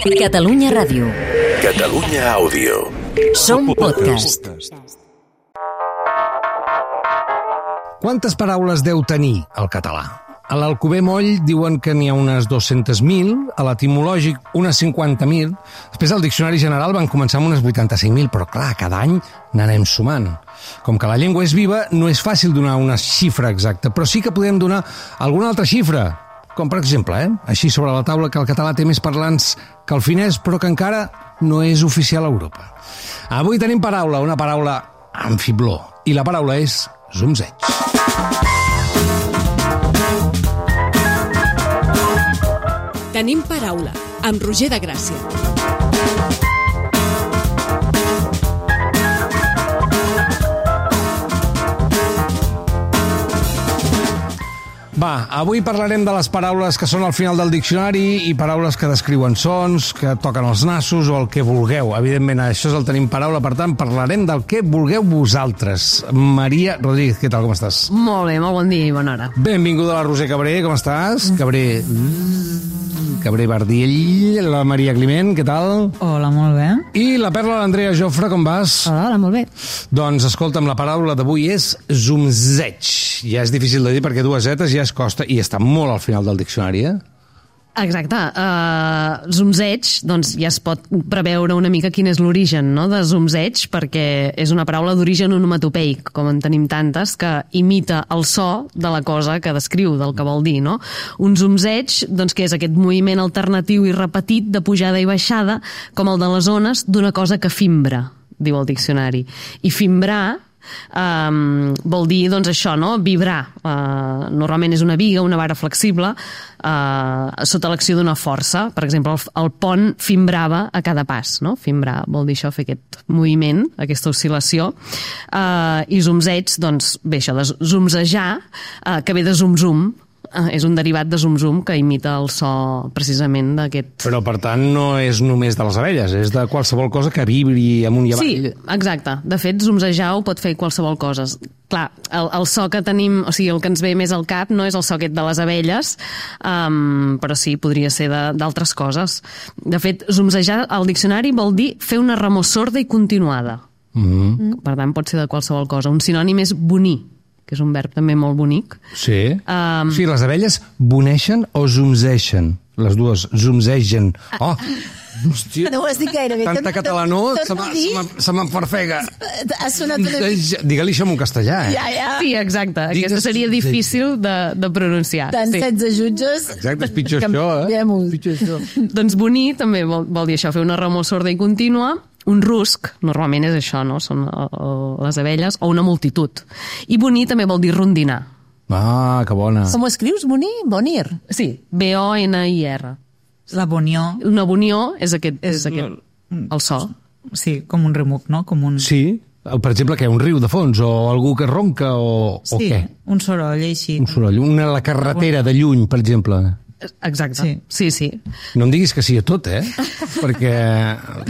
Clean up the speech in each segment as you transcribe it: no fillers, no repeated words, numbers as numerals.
Catalunya Ràdio. Catalunya Àudio. Som podcast. Quantes paraules deu tenir el català? A l'Alcover Moll diuen que n'hi ha unes 200.000, a l'etimològic unes 50.000, després al Diccionari General van començar amb unes 85.000, però clar, cada any n'anem sumant. Com que la llengua és viva, no és fàcil donar una xifra exacta, però sí que podem donar alguna altra xifra, com per exemple, així sobre la taula, que el català té més parlants que el finès, però que encara no és oficial a Europa. Avui tenim paraula, una paraula amb fibló, i la paraula és zumzeig. Tenim paraula, amb Roger de Gràcia. Va, avui parlarem de les paraules que són al final del diccionari i paraules que descriuen sons, que toquen els nassos o el que vulgueu. Evidentment, això és el Tenim Paraula, per tant, parlarem del que vulgueu vosaltres. Maria Rodríguez, què tal, com estàs? Molt bé, molt bon dia i bona hora. Benvinguda a la Roser Cabré, com estàs? Cabré Bardiell, la Maria Climent, què tal? Hola, molt bé. I la Perla, l'Andrea Jofre, com vas? Hola, molt bé. Doncs escolta'm, la paraula d'avui és zumzeig. Ja és difícil de dir perquè dues zetes ja es costa i està molt al final del diccionari, Exacte. Zumzeig, doncs ja es pot preveure una mica quin és l'origen, no?, de zumzeig, perquè és una paraula d'origen onomatopeic, com en tenim tantes, que imita el so de la cosa que descriu, del que vol dir, no? Un zumzeig, doncs, que és aquest moviment alternatiu i repetit de pujada i baixada, com el de les ones d'una cosa que fimbra, diu el diccionari. I fimbrar vol dir, doncs, això, no?, vibrar. Normalment és una biga, una vara flexible, sota l'acció d'una força. Per exemple, el pont fimbrava a cada pas, no? Fimbrar vol dir això, fer aquest moviment, aquesta oscil·lació. I zumzeig, doncs, bé, això de zumzejar, que ve de zum-zum, és un derivat de zum-zum que imita el so precisament d'aquest... Però, per tant, no és només de les abelles, és de qualsevol cosa que vibri amunt i avall. Sí, exacte. De fet, zumzejar ho pot fer qualsevol cosa. Clar, el so que tenim, o sigui, el que ens ve més al cap no és el so aquest de les abelles, però sí, podria ser d'altres coses. De fet, zumzejar al diccionari vol dir fer una remor sorda i continuada. Per tant, pot ser de qualsevol cosa. Un sinònim és bonir, que és un verb també molt bonic. Sí. Sí, les abelles boneixen o zumzeixen? Les dues, zumzegen. Oh, hòstia. No ho has dit gaire bé. Tanta catalanó, se m'enfarfega. Ha sonat una mica. Digue-li això en castellà, Ja. Sí, exacte. Aquesta seria difícil de pronunciar. Tant 16 jutges. Exacte, és pitjor això, Canviem-ho. Doncs bonir també vol dir això, fer una remor sorda i contínua. Un rusc, normalment és això, no? Són les abelles, o una multitud. I bonir també vol dir rondinar. Ah, que bona. Com ho escrius, Bonir? Bonir. Sí, B-O-N-I-R. La bonió. Una bonió és aquest el so. Sí, com un remuc, no? Com un... Sí, per exemple, què? Un riu de fons, o algú que ronca, o què? Un soroll, així. Un soroll, la carretera de lluny, per exemple. Exacte, sí. No em diguis que sí a tot, perquè...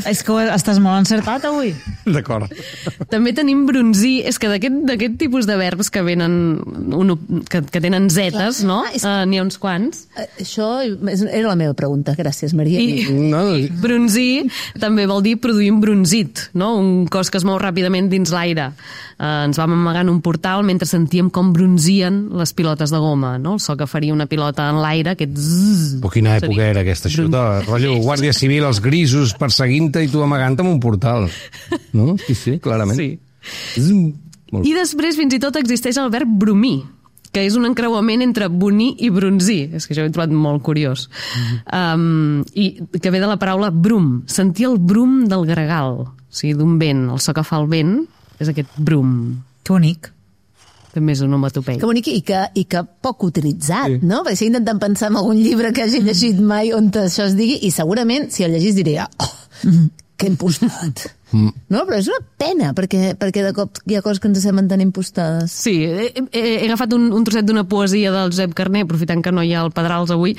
És que estàs molt encertat avui. D'acord. També tenim bronzir, és que d'aquest tipus de verbs que venen, que tenen zetes, no? N'hi ha uns quants. Això era la meva pregunta, gràcies, Maria. I bronzir també vol dir produir un bronzit, no? Un cos que es mou ràpidament dins l'aire. Ens vam amagar en un portal mentre sentíem com bronzien les pilotes de goma, no? El so que faria una pilota en l'aire, aquest zzz. Però quina època era aquesta, això? Rotllo, Guàrdia Civil, els grisos perseguint-te i tu amagant-te en un portal. No? Sí, clarament. Sí. I després, fins i tot, existeix el verb bromir, que és un encreuament entre bonir i bronzir. És que això ho he trobat molt curiós. I que ve de la paraula brum, sentir el brum del gregal, o sigui, d'un vent, el so que fa el vent és aquest brum. Que bonic. També és onomatopeic. Que bonic i que poc utilitzat, no? Perquè estic intentant pensar en algun llibre que hagi llegit mai on això es digui i segurament, si el llegís, diria que impostat. No, però és una pena, perquè de cop hi ha coses que ens semblen tan impostades. Sí, he agafat un trosset d'una poesia del Josep Carner, aprofitant que no hi ha el Pedrals avui.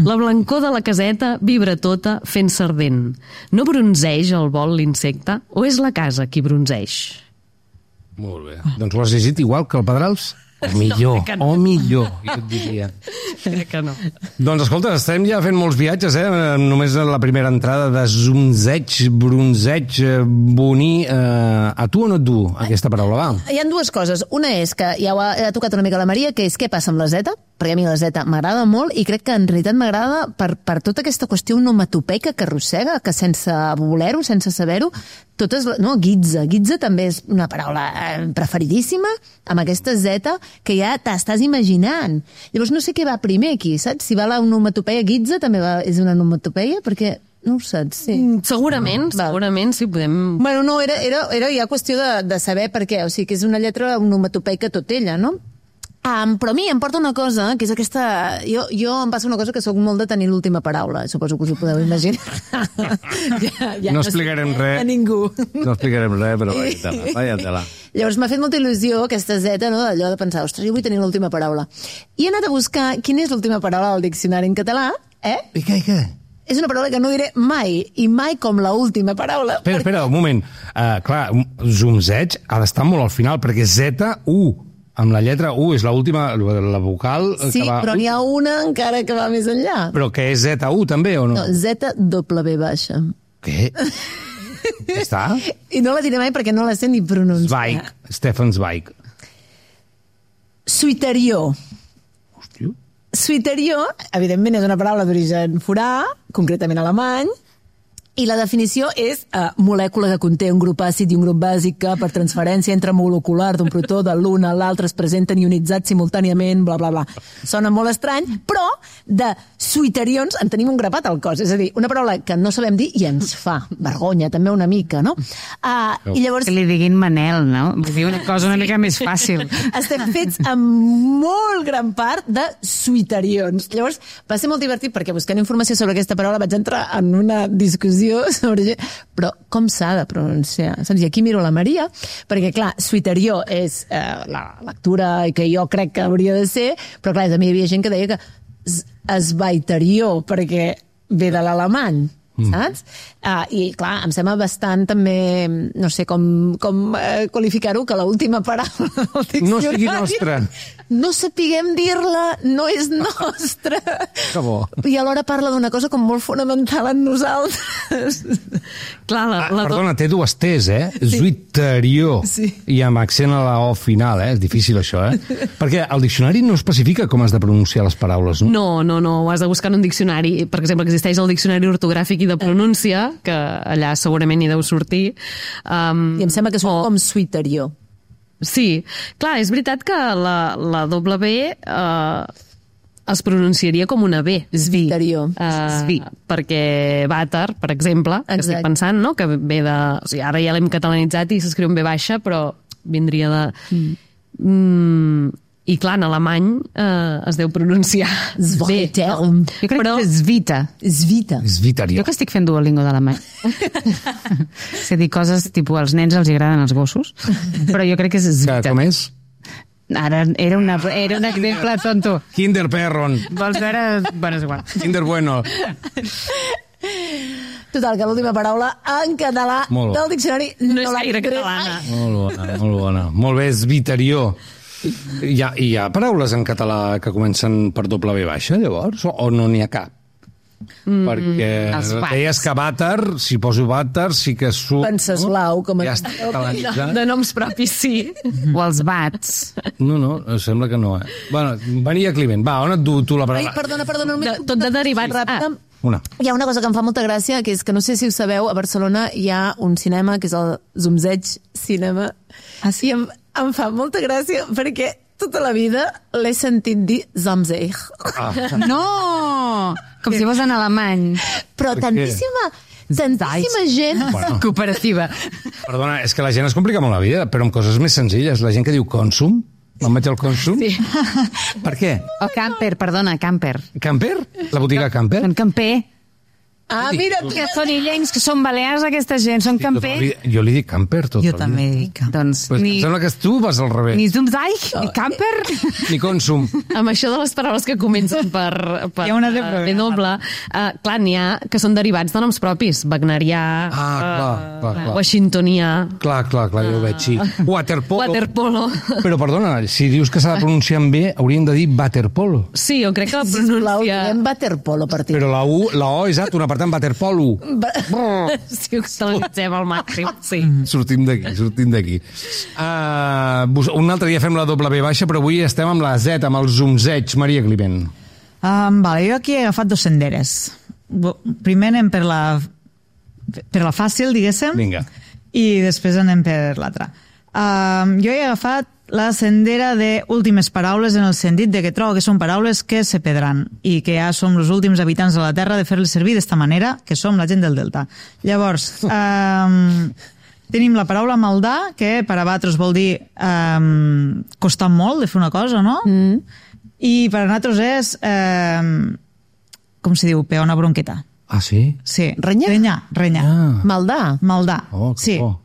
La blancor de la caseta vibra tota fent sardent. No bronzeix al vol l'insecte, o és la casa qui bronzeix? Molt bé. Doncs ho has llegit igual que el Pedrals? millor, jo et diria. Crec que no. Doncs escolta, estem ja fent molts viatges, només la primera entrada de zumzeig, bronzeig, boní. A tu o no et du aquesta paraula, va? Hi ha dues coses. Una és que ja ho ha tocat una mica la Maria, que és què passa amb la zeta, perquè a mi la zeta m'agrada molt i crec que en realitat m'agrada per tota aquesta qüestió onomatopeica que arrossega, que sense voler-ho, sense saber-ho, guitza. Guitza també és una paraula preferidíssima, amb aquesta zeta que ja t'estàs imaginant. Llavors no sé què va primer aquí, saps? Si va la onomatopeia guitza també és una onomatopeia, perquè no ho saps, sí. Segurament sí podem... Bueno, no, era ja qüestió de saber per què, o sigui que és una lletra onomatopeica tot ella, no? Però a mi em porta una cosa, que és aquesta... Jo em passa una cosa que sóc molt de tenir l'última paraula, suposo que us ho podeu imaginar. No explicarem res. A ningú. No explicarem res, però vaya tela. Llavors m'ha fet molta il·lusió aquesta zeta, no?, d'allò de pensar, ostres, jo vull tenir l'última paraula. I he anat a buscar quina és l'última paraula del diccionari en català, I què? És una paraula que no diré mai, i mai com l'última paraula. Espera, un moment. Clar, zumzeig ha d'estar molt al final, perquè Z-U, amb la lletra U, és l'última, la vocal... Sí, que va... però n'hi ha una encara que va més enllà. Però que és Z-U també, o no? No, Z-W baixa. Què? Ja està? I no la diré mai perquè no la sé ni pronunciar. Zweig, Stefan Zweig. Suiterió. Hòstia. Suiterió, evidentment, és una paraula d'origen forà, concretament alemany, i la definició és molècula que conté un grup àcid i un grup bàsic que, per transferència intramolecular d'un protó de l'un a l'altre, es presenten ionitzats simultàniament, bla, bla, bla. Sona molt estrany, però de suiterions en tenim un grapat al cos. És a dir, una paraula que no sabem dir i ens fa vergonya, també una mica, no? I llavors... Que li diguin Manel, no? Vull dir una cosa una mica més fàcil. Estem fets en molt gran part de suiterions. Llavors, va ser molt divertit perquè buscant informació sobre aquesta paraula vaig entrar en una discussió sobre... Però com s'ha de pronunciar? Saps? I aquí miro la Maria, perquè, clar, suiterió és la lectura que jo crec que hauria de ser, però, clar, també hi havia gent que deia que esvaiterió, perquè ve de l'alemany, saps? I, clar, em sembla bastant també, no sé com qualificar-ho, que l'última paraula del diccionari... No sigui nostra. No sapiguem dir-la, no és nostra. Que bo. I alhora parla d'una cosa com molt fonamental en nosaltres. Clar, perdona, té dues T's, Sí. Zuiterió. Sí. I amb accent a la O final, És difícil, això, Perquè el diccionari no especifica com has de pronunciar les paraules, no? No, ho has de buscar en un diccionari. Per exemple, existeix el diccionari ortogràfic i de pronúncia, que allà segurament hi deu sortir. I em sembla que és com suiterió. Sí, clar, és veritat que la W es pronunciaria com una B. Suiterió. Perquè vàter, per exemple, que estic pensant, no? Que ve de... O sigui, ara ja l'hem catalanitzat i s'escriu en B baixa, però vindria de... I clar, en alemany es deu pronunciar bé. Jo crec que és Svita. Svitarió. Jo que estic fent Duolingo d'alemany. És a dir, coses tipus als nens els agraden els gossos, però jo crec que és Svita. Com és? Ara era un exemple tonto. Kinderperron. Vols veure? Bueno, és igual. Kinder bueno. Total, que l'última paraula en català del diccionari no és gaire catalana. Molt bona. Molt bé, Svitarió. Hi ha paraules en català que comencen per W baixa, llavors? O no n'hi ha cap? Perquè deies que vàter, si poso vàter, sí que surt... Venceslau, com ja està catalanitzat. De noms propis, sí. O els bats. No, sembla que no, Bueno, venia Climent, va, on et du tu la paraula? Ai, perdona. Tot de derivats. Hi ha una cosa que em fa molta gràcia, que és que no sé si ho sabeu, a Barcelona hi ha un cinema que és el Zumzeig Cinema. I em fa molta gràcia perquè tota la vida l'he sentit dir Zumzeig. No! Com si fos en alemany. Però tantíssima gent... Cooperativa. Perdona, és que la gent es complica molt la vida, però amb coses més senzilles. La gent que diu Consum, me'n vaig al Consum. Sí. Per què? O Camper, perdona, Camper. Camper? La botiga Camper? En Camper. Ah, mira, Que són illencs, que són balears, aquesta gent, són campers. Jo li dic camper tot Jo el també dia. dic camper. Doncs Pues em sembla que tu vas al revés. ni Zumzeig, ni camper. Ni consum. Amb això de les paraules que comencen per Hi ha una de problema. doble, clar, n'hi ha que són derivats de noms propis. Wagnerià, Clar. washingtonià, Clar, ja ho veig, sí. Waterpolo. waterpolo. Però, perdona, si dius que s'ha de pronunciar bé, haurien de dir waterpolo. Sí, jo crec que la sisplau, pronuncia... diguem waterpolo per ti. Però la O, exacte, una part en waterpolo. Si ho utilitzem al màxim, sí. Sortim d'aquí. Un altre dia fem la W baixa, però avui estem amb la Z, amb el zumzeig. Maria Climent. Vale, jo aquí he agafat 2 senderes. Primer anem per la fàcil, diguéssim, Vinga. i després anem per l'altra. Jo he agafat la sendera de últimes paraules en el sentit de que trobo que són paraules que se perdran i que ja som els últims habitants de la Terra de fer-les servir d'esta manera, que som la gent del Delta. Llavors, tenim la paraula maldar, que per a vosaltres vol dir costar molt de fer una cosa, no? I per a nosaltres és, com se diu, pegar una bronqueta. Ah, sí? Sí. Renyar? Renyar. Maldar? Maldar. Oh, que sí. bo.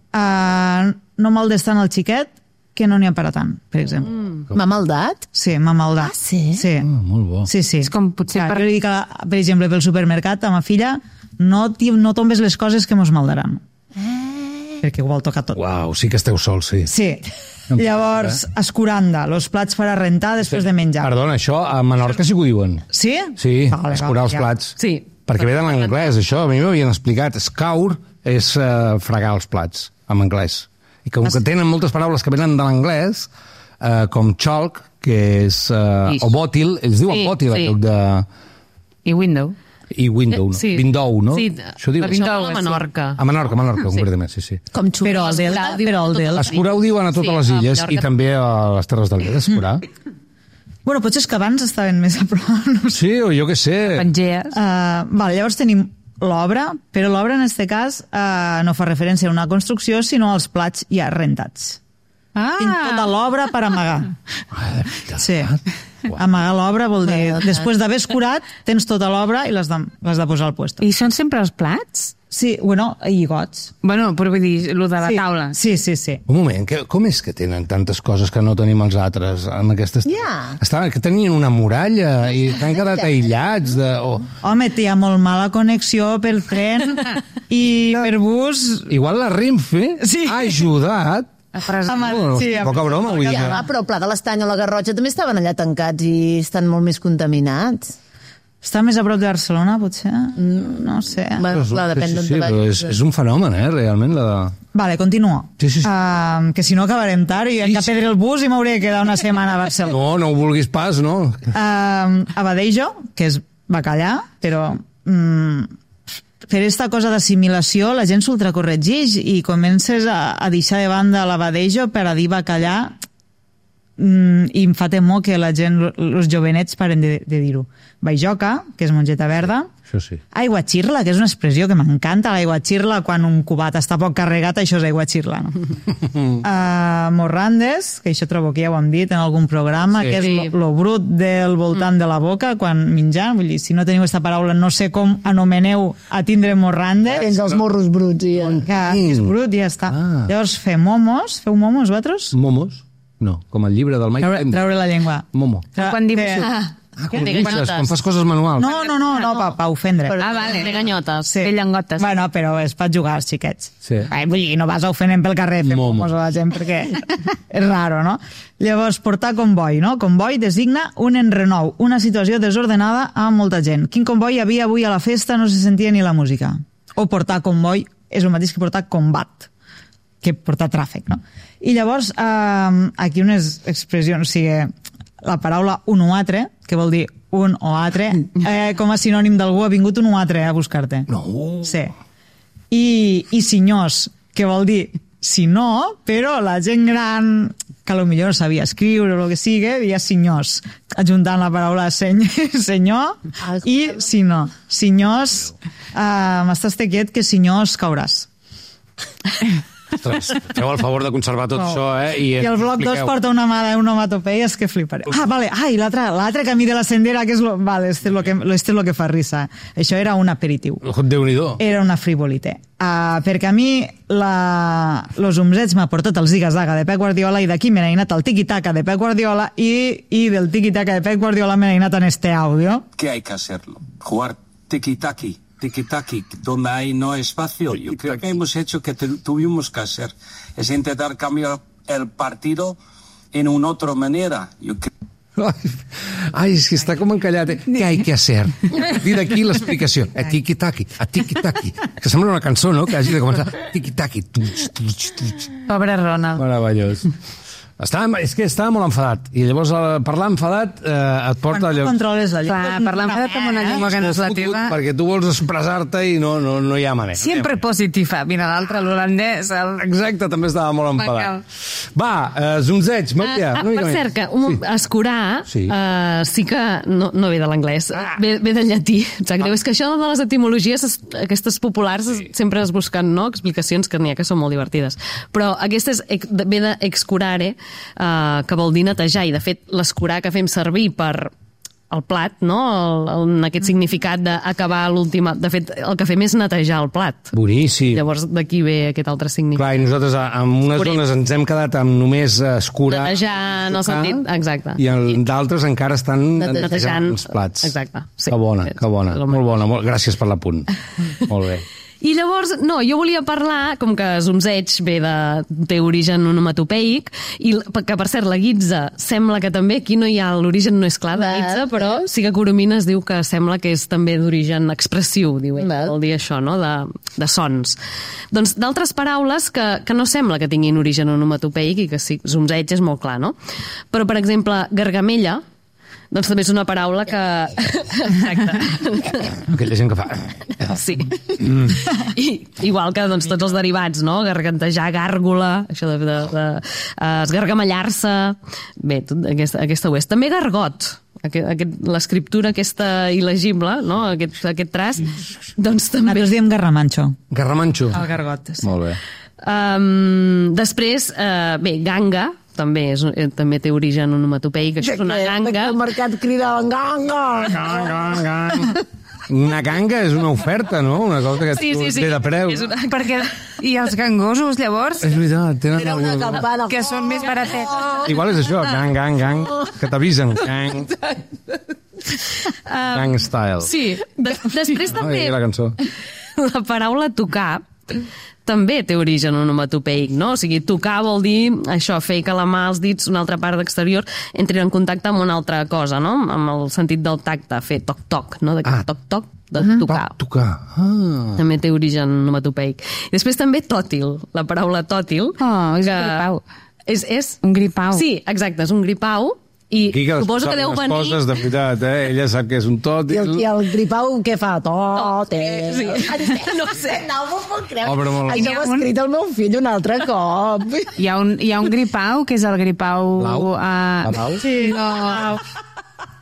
No maldes tant el xiquet que no n'hi ha per a tant, per exemple. M'ha maldat? Sí, m'ha maldat. Ah, sí? Sí. Molt bo. Sí, sí. És com potser Clar, per- jo li dic, per exemple, pel supermercat a ma filla, no tombes les coses que mos maldaran. Perquè ho vol tocar tot. Uau, sí que esteu sols, sí. Sí. Llavors, escuranda, los plats per a rentar després de menjar. Perdona, això a Menorca sí que ho diuen. Sí? Sí, Vale, escurar els ja. plats. Sí. Perquè ve de l'anglès, això. A mi m'havien explicat. Scour és fregar els plats, en anglès. I com que tenen moltes paraules que venen de l'anglès, com chalk, que és... o bòtil, ells diuen Sí, bòtil, sí. en lloc de... I window. I window, no? Sí. Window, no? Sí, Això diu... la Window, a Menorca. A Menorca, concretament, sí. Com xup. Però el del... Escurar ho diuen a totes les a illes Mallorca. i també a les Terres del Lleida, escurar. Bueno, potser és que abans estaven més a prop. No sé. Sí, o jo què sé. Pangees. Vale, llavors tenim l'obra, però l'obra en aquest cas no fa referència a una construcció, sinó als plats ja rentats. Tinc tota l'obra per amagar. Sí. Amagar l'obra vol dir, després d'haver escurat, tens tota l'obra i l'has de posar al puesto. I són sempre els plats? Sí, bueno, i gots. Bueno, però vull dir, el de la Sí. taula. Sí, sí, sí. Un moment, com és que tenen tantes coses que no tenim els altres en aquestes... Ja. Que tenien una muralla i han quedat aïllats de... Home, hi ha molt mala connexió pel tren i per bus. Igual la Renfe Sí. ha ajudat... Sí, Poca broma, vull dir. Ja, però el Pla de l'Estany o la Garrotxa també estaven allà tancats i estan molt més contaminats. Està més a prop de Barcelona, potser? No sé. Bueno, clar, depèn d'on te però vagis. és un fenomen, realment, la... Vale, continuo. Sí. Que si no acabarem tard i hem de perdre el bus i m'hauré de quedar una setmana a Barcelona. No ho vulguis pas, no? Abadejo, que és bacallà, però per aquesta cosa d'assimilació la gent s'ultracorregeix i comences a deixar de banda l'abadejo per a dir bacallà i em fa temor que la gent, els jovenets paren de dir-ho. Baijoca, que és mongeta verda. Això sí. Aigua xirla, que és una expressió que m'encanta, l'aigua xirla, quan un cubat està poc carregat, això és aigua xirla. No? Morrandes, que això trobo que ja ho hem dit en algun programa, Sí. que és lo brut del voltant de la boca quan menjant. Vull dir, si no teniu aquesta paraula, no sé com anomeneu a tindre morrandes. Tens els morros bruts i... Que és brut i ja està. Llavors, feu momos vosaltres? Momos? No, com el llibre del Mike Tender. Treure la llengua. Momo. Quan dibuixo. Quan dibuixes, quan fas coses manuals. No, pa ofendre. Vale. De ganyotes. Sí. De llengotes. Bueno, però és per jugar als xiquets. Sí. Vull dir, no vas ofenent pel carrer fent Momo. momos a la gent perquè és raro, no? Llavors, portar comboi, no? Comboi designa un enrenou, una situació desordenada amb molta gent. Quin comboi hi havia avui a la festa? No se sentia ni la música. O portar comboi és el mateix que portar combat, que portar tràfic, no? I llavors, aquí unes expressions, o sigui, la paraula un o altre, que vol dir un o altre, com a sinònim d'algú ha vingut un o altre a buscar-te. No. Sí. I senyors, que vol dir si no, però la gent gran que potser no sabia escriure o el que sigui, deia senyors, ajuntant la paraula senyor i si no. Senyors, m'estàs quiet que senyors cauràs. Ostres, feu el favor de conservar tot això, I el bloc 2 porta una onomatopeia, és que fliparé. Vale, i l'altre camí de la sendera, que és vale, este es lo que fa risa. Això era un aperitiu. Déu-n'hi-do. Era una frivolité. Perquè a mi los umzets m'ha portat el ziga-zaga de Pep Guardiola i d'aquí me n'he anat al tiki-taka de Pep Guardiola y del tiki-taka de Pep Guardiola me n'he anat en este audio. ¿Qué hay que hacerlo? Jugar tiki-taki, donde hay no espacio. Yo creo que hemos hecho que tuvimos que hacer. Es intentar cambiar el partido en una otra manera. Yo creo. Ai, és que està com encallat. Què hay que hacer? I d'aquí l'explicació. A tiki-taki, a tiki-taki. Que sembla una cançó, no? Que hagi de començar. Tiki-taki. Pobre Ronald. Meravellós. És que estava molt enfadat. I llavors parlar enfadat et porta allò... Controles la llengua. Clar, parlar enfadat amb una llengua que no és la teva. Perquè tu vols expressar-te i no hi ha manera. Sempre positiva. Mira, l'altre, l'holandès... Exacte, també estava molt enfadat. Va, zonzeig, Maria. Per cert, que escurar sí que no ve de l'anglès, ve del llatí. Sap greu, és que això de les etimologies, aquestes populars, sempre es busquen explicacions que n'hi ha que són molt divertides. Però aquesta ve de excurare, que vol dir netejar, i de fet l'escurar que fem servir per el plat, no? En aquest significat d'acabar l'última... De fet, el que fem és netejar el plat. Boníssim. Llavors d'aquí ve aquest altre significat. Clar, i nosaltres en unes zones ens hem quedat amb només escurar... Netejar en el sentit... Exacte. I d'altres encara estan netejant els plats. Exacte. Sí. Que bona. Molt bona. Gràcies per l'apunt. Molt bé. I llavors, jo volia parlar, com que zumzeig té origen onomatopeic, i que, per cert, la guitza sembla que també, aquí no hi ha, l'origen no és clar de guitza, però sí que Coromines diu que sembla que és també d'origen expressiu, diu ell, vol dir això, no?, de sons. Doncs d'altres paraules que no sembla que tinguin origen onomatopeic i que sí, zumzeig és molt clar, no? Però, per exemple, gargamella, doncs també és una paraula que... Exacte. Aquella gent que fa... Sí. Igual que doncs, tots els derivats, no? Gargantejar, gàrgola, això de esgargamellar-se... Bé, aquesta ho és. També gargot. L'escriptura aquesta il·legible, no? Aquest traç, doncs també... Nosaltres diem garramanxo. Garramanxo. El gargot, sí. Molt bé. Després, bé, ganga, també té origen onomatopeic, això és una ganga. El mercat cridaven ganga. Una ganga és una oferta, no? Una cosa que té de preu. Perquè... I els gangosos, llavors? És veritat, tenen era una campana. Que són més baratets. Igual és això, gang, que t'avisen. Gang style. Sí, després també... La cançó. La paraula tocar també té origen onomatopeic, no? O sigui, tocar vol dir això, fer que la mà, els dits, una altra part exterior, entrin en contacte amb una altra cosa, no? Amb el sentit del tacte, fer toc-toc, no? Toc-toc, de tocar. Tocar. També té origen onomatopeic. I després també tòtil, la paraula tòtil. És un gripau. És un gripau. Sí, exacte, és un gripau. I suposo que deu venir... Coses, de veritat, Ella sap que és un tòtil. I el gripau què fa? Tòtil. Sí. No sé. No m'ho puc creure. Això ho ha escrit el meu fill un altre cop. Hi ha un gripau, que és el gripau... Blau? Blau? Sí, no...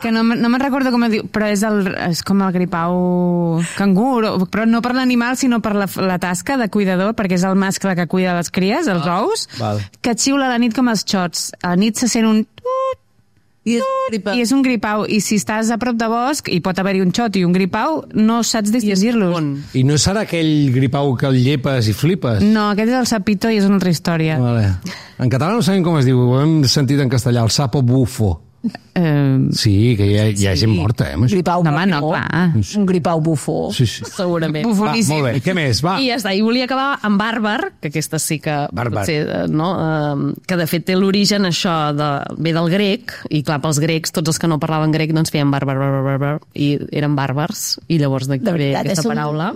Que no me'n recordo com es diu, però és com el gripau cangur, però no per l'animal, sinó per la tasca de cuidador, perquè és el mascle que cuida les cries, els ous, que xiula a la nit com els xots. A la nit se sent un... I és un gripau, i si estàs a prop de bosc i pot haver-hi un xot i un gripau, no saps distingir-los. I no serà aquell gripau que el llepes i flipes? No, aquest és el sapito i és una altra història. Vale. En català no sabem com es diu, ho hem sentit en castellà, el sapo bufo. Sí, que hi ha gent morta, Un gripau bufó. No, clar. Un gripau bufó. Sí. Segurament. Bufoníssim. Molt bé, què més? Va. I ja està, i volia acabar amb bàrbar, que aquesta sí que potser, no? Que de fet té l'origen això ve del grec, i clar, pels grecs, tots els que no parlaven grec, doncs feien bàrbar, i eren bàrbars, i llavors d'aquí ve aquesta paraula.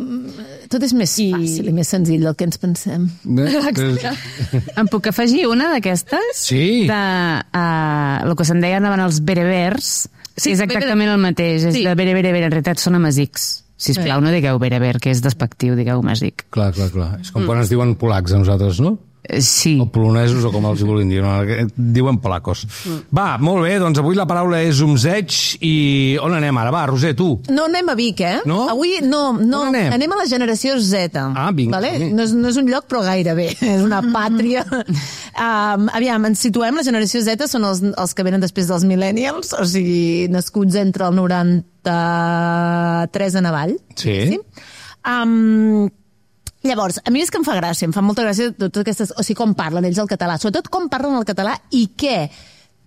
Tot és més fàcil i més senzill del que ens pensem. Em puc afegir una d'aquestes? Sí. El que se'n deien abans els berebers, sí, és exactament el mateix, és de bereber, en realitat són amazics. Sisplau, no digueu bereber, que és despectiu, digueu amazic. Clar. És com quan ens diuen polacs a nosaltres, no? Sí. O polonesos, o com els vulguin dir, no? Diuen polacos. Va, molt bé, doncs avui la paraula és umzeig i on anem ara? Va, Roser, tu. No anem a Vic, No? Avui no. On anem? A la generació Z. Ah, vinga. Vale? No és un lloc, però gairebé. És una pàtria. Aviam, ens situem, la generació Z són els que venen després dels millennials, o sigui, nascuts entre el 93 en avall. Sí. Llavors, a mi és que em fa gràcia, em fa molta gràcia totes aquestes, o sigui, com parlen ells el català, sobretot com parlen el català i què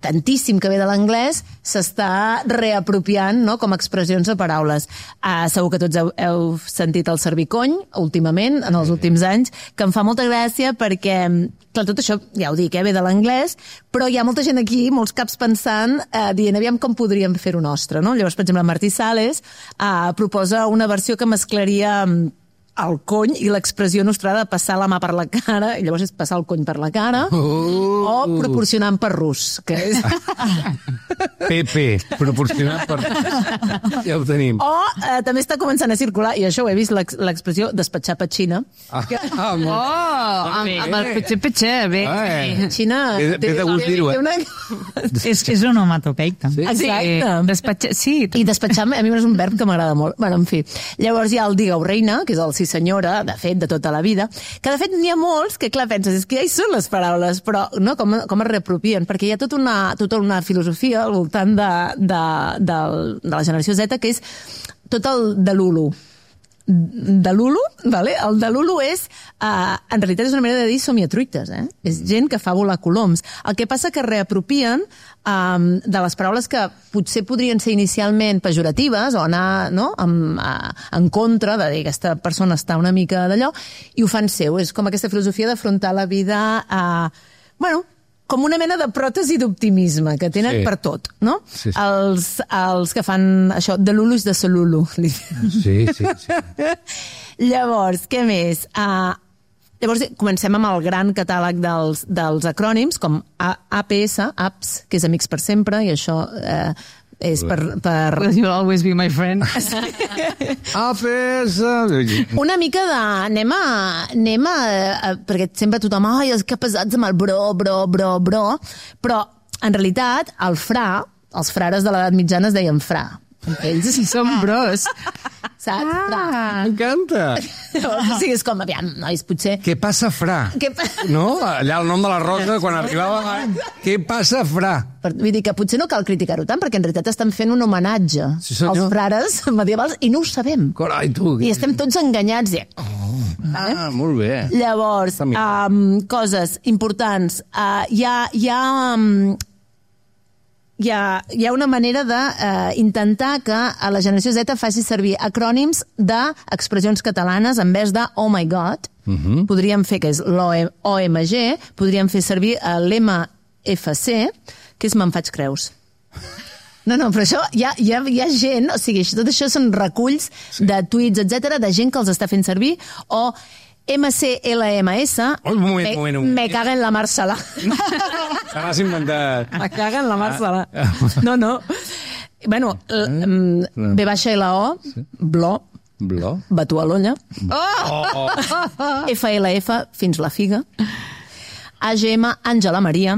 tantíssim que ve de l'anglès s'està reapropiant, no?, com a expressions de paraules. Segur que tots heu sentit el servicony últimament, en els últims anys, que em fa molta gràcia perquè, clar, tot això, ja ho dic, ve de l'anglès, però hi ha molta gent aquí, molts caps pensant, dient, aviam com podríem fer-ho nostre, no? Llavors, per exemple, Martí Sales proposa una versió que mesclaria el cony i l'expressió nostrada de passar la mà per la cara, i llavors és passar el cony per la cara, o proporcionant per rus, que és... PP, proporcionat per... Ja ho tenim. O també està començant a circular, i això ho he vist, l'expressió despatxar petxina. Amb el petxe, bé. Petxina... Té de gust dir-ho, És onomatopeic, també. Exacte. Sí. I despatxar, a mi és un verb que m'agrada molt. Bueno, en fi. Llavors hi ha el digueu reina, que és el sí senyora, de fet, de tota la vida, que de fet n'hi ha molts que, clar, penses, és que ja hi són les paraules, però no, com es reapropien, perquè hi ha tota una filosofia al voltant de la generació Z, que és tot el de l'Ulu. De l'Ulu, vale? El de l'Ulu és, en realitat és una manera de dir somiatruites, És gent que fa volar coloms. El que passa que reapropien de les paraules que potser podrien ser inicialment pejoratives o anar, no?, en contra de dir que aquesta persona està una mica d'allò, i ho fan seu. És com aquesta filosofia d'afrontar la vida com una mena de pròtesi d'optimisme que tenen per tot, no? Sí. Els que fan això, de l'Ulu és de Solulu. Sí. Llavors, què més? Llavors, comencem amb el gran catàleg dels acrònims, com APS, APS, que és Amics per Sempre, i això és per... You'll always be my friend. APS... Una mica de... Anem a perquè sempre tothom, ai, és que pesats amb el bro, però en realitat els frares de l'edat mitjana es deien fra. Ells sí som bros. Saps? M'encanta. O sigui, és com, aviam, nois, potser... Què passa, fra? No? Allà el nom de la Rosa, quan arribava... Què passa, fra? Vull dir que potser no cal criticar-ho tant, perquè en realitat estan fent un homenatge als frares medievals i no ho sabem. Carai, tu... I estem tots enganyats. Molt bé. Llavors, coses importants. Hi ha una manera d'intentar que a la generació Z faci servir acrònims d'expressions catalanes en vez de oh my god. Podríem fer, que és l'OMG, podríem fer servir l'MFC, que és me'n faig creus. No, però això hi ha gent, o sigui, tot això són reculls de tuits, etc, de gent que els està fent servir, o MCLMS, me caga en la Marcela. T'has inventat. Me caga en la Marcela. No. Bueno, B-LO, Bló, Batu a l'olla. FLF, fins la figa. AGM, Àngela Maria.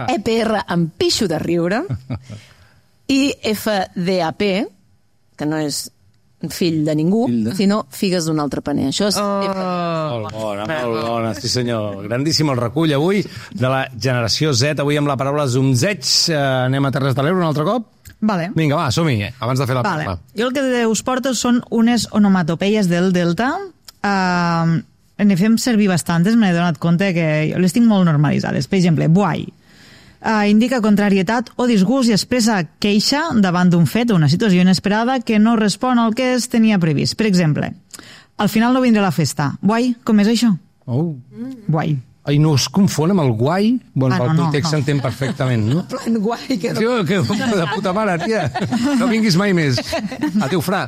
EPR, em pixo de riure. I FDAP, que no és fill de ningú, sinó figues d'un altre paner. Això és... Molt bona, sí senyor. Grandíssim el recull avui de la generació Z, avui amb la paraula zumzeig. Anem a Terres de l'Ebre un altre cop? Vale. Vinga, va, som-hi, abans de fer la paraula. Jo el que us porto són unes onomatopeies del Delta. Ne fem servir bastantes, m'he donat compte que les tinc molt normalitzades. Per exemple, buai. Indica contrarietat o disgust i expressa queixa davant d'un fet o una situació inesperada que no respon al que es tenia previst. Per exemple, al final no vindré a la festa. Guai, com és això? Guai. Ai, no es confon amb el guai? Bueno, el context s'entén perfectament, no? Plan guai. Que de puta mare, tia. No vinguis mai més. Adéu, fra.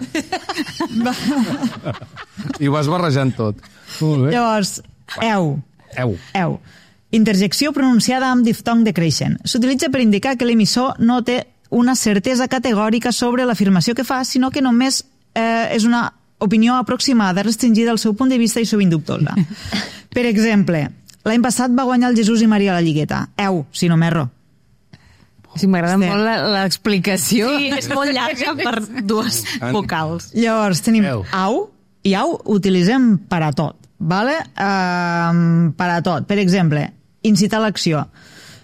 I ho vas barrejant tot. Llavors, eu. Interjecció pronunciada amb diftong decreixent. S'utilitza per indicar que l'emissor no té una certesa categòrica sobre l'afirmació que fa, sinó que només és una opinió aproximada, restringida al seu punt de vista i sovint dubtosa. Per exemple, l'any passat va guanyar el Jesús i Maria a la Lligueta. Si no m'erro. Sí, m'agrada molt l'explicació. Sí, és molt llarga per dues vocals. Llavors, tenim au, i au utilitzem per a tot, vale? Per a tot. Per exemple, incitar l'acció.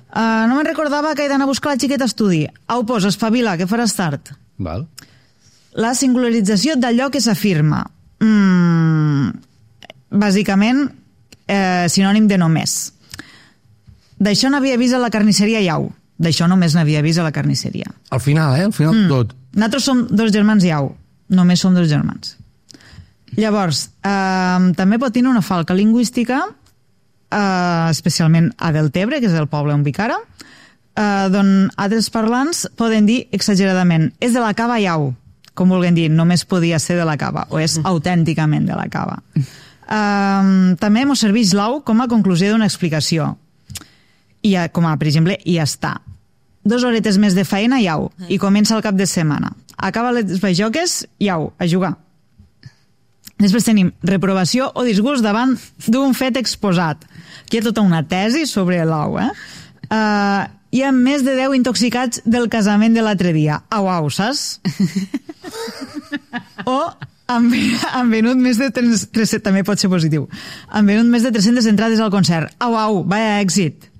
No me'n recordava que he d'anar a buscar la xiqueta a estudi. Au, espavila, que faràs tard. Val. La singularització d'allò que s'afirma. Bàsicament, sinònim de només. D'això n'havia vist a la carnisseria Iau. D'això només n'havia vist a la carnisseria. Al final, al final tot. Nosaltres som 2 germans Iau. Només som 2 germans. Llavors, també pot tenir una falca lingüística, especialment a Deltebre, que és el poble on vic ara, d'on altres parlants poden dir exageradament és de la cava Iau, com vulguem dir, només podia ser de la cava, o és autènticament de la cava. També ens serveix l'au com a conclusió d'una explicació. Com a, per exemple, i ja està. 2 horetes més de feina, iau, i comença el cap de setmana. Acaba les bajoques, iau, a jugar. Després tenim reprovació o disgust davant d'un fet exposat. Aquí hi ha tota una tesi sobre l'au, hi ha més de 10 intoxicats del casament de l'altre dia. Au, saps? O han venut més de 300... També pot ser positiu. Han venut més de 300 entrades al concert. Au, vaya èxit.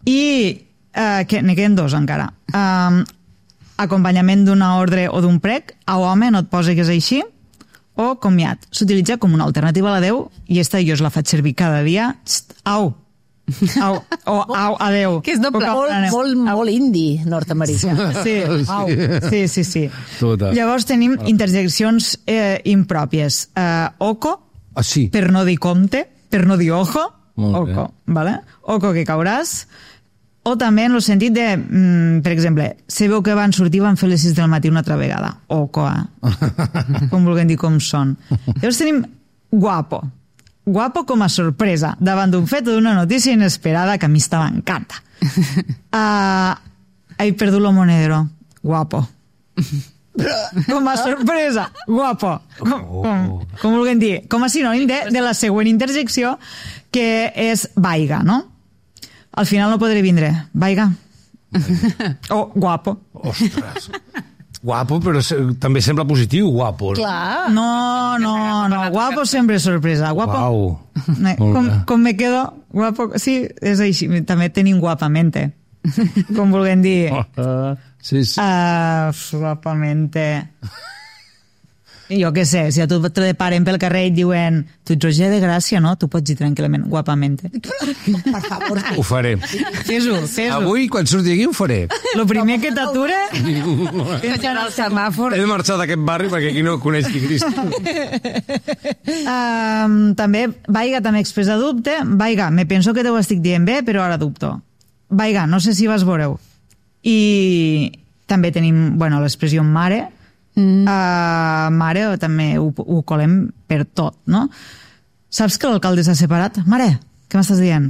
I n'hi queden 2 encara. Acompanyament d'una ordre o d'un prec. Au, home, no et posi que és així. O comiat. S'utilitza com una alternativa a l'adeu i esta jo la faig servir cada dia. Au. O au, adeu. Que és doble. Molt indi nord-americà. Sí. Llavors tenim interjeccions impròpies. Oco, per no dir compte, per no dir ojo. Oco, vale? Oco que cauràs. O també en el sentit de, per exemple, se veu que van sortir, van fer les 6 del matí una altra vegada. Oco, com vulguem dir com són. Llavors tenim guapo. Guapo com a sorpresa, davant d'un fet o d'una notícia inesperada que a mi esta m'encanta. He perdut lo monedero. Guapo. Com a sorpresa. Guapo. Com vulguem dir. Com a sinònim de la següent interjecció, que és vaiga, no? Al final no podré vindre. Vaiga. O guapo. Ostres. Guapo, però també sembla positiu, guapo. Clar. No. Guapo sempre és sorpresa. Guapo. Com me quedo... Guapo... Sí, és així. També tenim guapamente. Com vulguem dir. Sí. Guapamente. Jo què sé, si a tu te paren pel carrer i et diuen tu ets Roger de Gràcia, no? Tu pots dir tranquil·lament, guapamente. Per favor. Ho faré. Fes-ho. Avui, quan surti aquí, ho faré. Lo primer que t'ature... Vaig anar al semàfor. He de marxar d'aquest barri perquè aquí no coneix qui Cristo. També, vaiga, també expressa dubte. Vaiga, me penso que te ho estic dient bé, però ara dubto. Vaiga, no sé si vas veure-ho. I també tenim, l'expressió mare. Mare també ho colem per tot, no? Saps que l'alcalde s'ha separat? Mare, què m'estàs dient?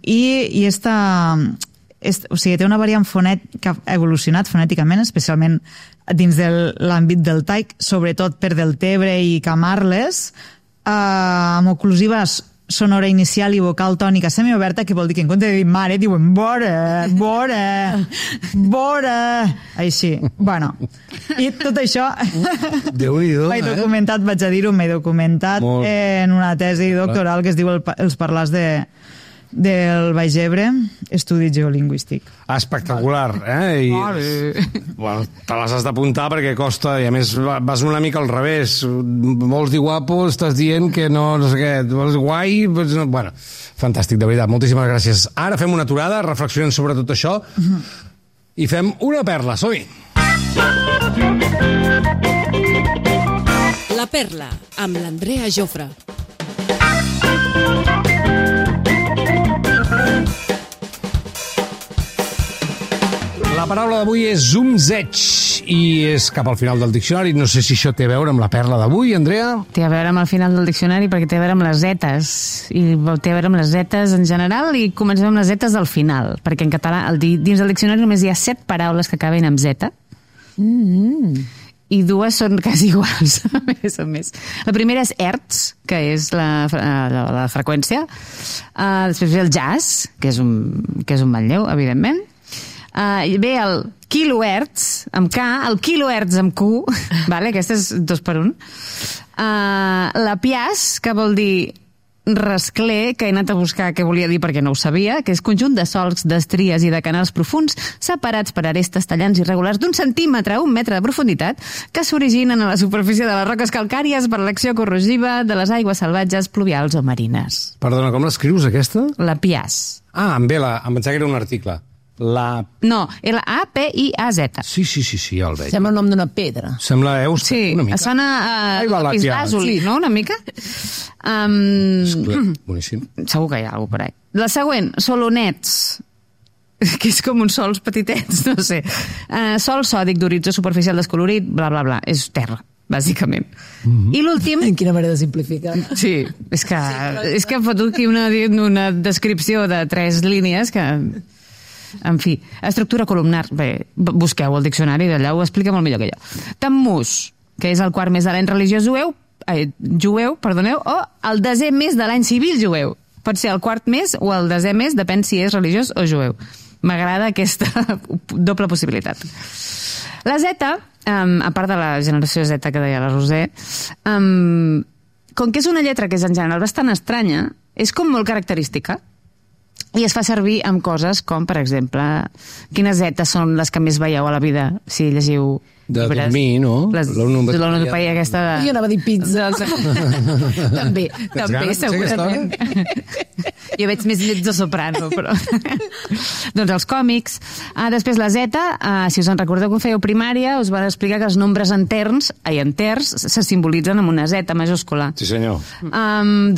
I o sigui, té una variant que ha evolucionat fonèticament, especialment dins de l'àmbit del taic, sobretot per Deltebre i Camarles, amb oclusives sonora inicial i vocal tònica semioberta, que vol dir que en compte de dir mare diuen vora, així. Bueno, i tot això m'he documentat, vaig a dir-ho, m'he documentat en una tesi doctoral que es diu Els parlars del Baix Ebre, estudi geolingüístic. Espectacular, I, te les has d'apuntar perquè costa, i a més vas una mica al revés. Vols dir guapo, estàs dient que no sé què, vols guai... Bueno, fantàstic, de veritat, moltíssimes gràcies. Ara fem una aturada, reflexionem sobre tot això i fem una perla, som-hi! La perla, amb l'Andrea Jofre. La paraula d'avui és zumzeig i és cap al final del diccionari. No sé si això té a veure amb la perla d'avui, Andrea. Té a veure amb el final del diccionari perquè té a veure amb les zetes. I té a veure amb les zetes en general i comencem amb les zetes al final. Perquè en català, dins del diccionari només hi ha 7 paraules que acaben amb zeta. i dues són quasi iguals, més o més. La primera és hertz, que és la freqüència. Després ve el jazz, que és un manlleu, evidentment. Ve el kilohertz, amb K, el kilohertz amb Q, vale? Aquesta és 2 per 1. La pias, que vol dir rascler, que he anat a buscar què volia dir perquè no ho sabia, que és conjunt de solcs, d'estries i de canals profunds separats per arestes tallants irregulars d'1 centímetre a 1 metre de profunditat que s'originen a la superfície de les roques calcàries per l'acció corrosiva de les aigües salvatges, pluvials o marines. Perdona, com l'escrius, aquesta? La pias. Em pensava que era un article. No, L-A-P-I-A-Z. Sí, ja el veig. Sembla el nom d'una pedra. Sembla sí, una mica. Sona a Islàsoli, no? Una mica? Boníssim. Segur que hi ha alguna per ahí. La següent, solonets, que és com uns sols petitets, no sé. Sol sòdic d'horitzó superficial descolorit, bla, bla, bla. És terra, bàsicament. I l'últim... Quina manera de simplificar. Sí, és que hem fotut aquí una descripció de 3 línies que... En fi, estructura columnar. Bé, busqueu el diccionari d'allà, ho explica molt millor que jo. Tammuz, que és el quart mes de l'any religiós jueu, o el 10è mes de l'any civil jueu. Pot ser el quart mes o el 10è mes, depèn si és religiós o jueu. M'agrada aquesta doble possibilitat. La Z, a part de la generació Z que deia la Roser, com que és una lletra que és en general bastant estranya, és com molt característica. I es fa servir amb coses com, per exemple, quines zetes són les que més veieu a la vida si llegiu de llibres? Dormir, no? L'onomatopeia aquesta de... Jo anava a dir pizza. també, segurament. Jo veig més mezzo soprano, però... doncs els còmics. Després la Z, si us en recordeu que fèieu primària, us van explicar que els nombres enters se simbolitzen amb una Z majúscula. Sí, senyor.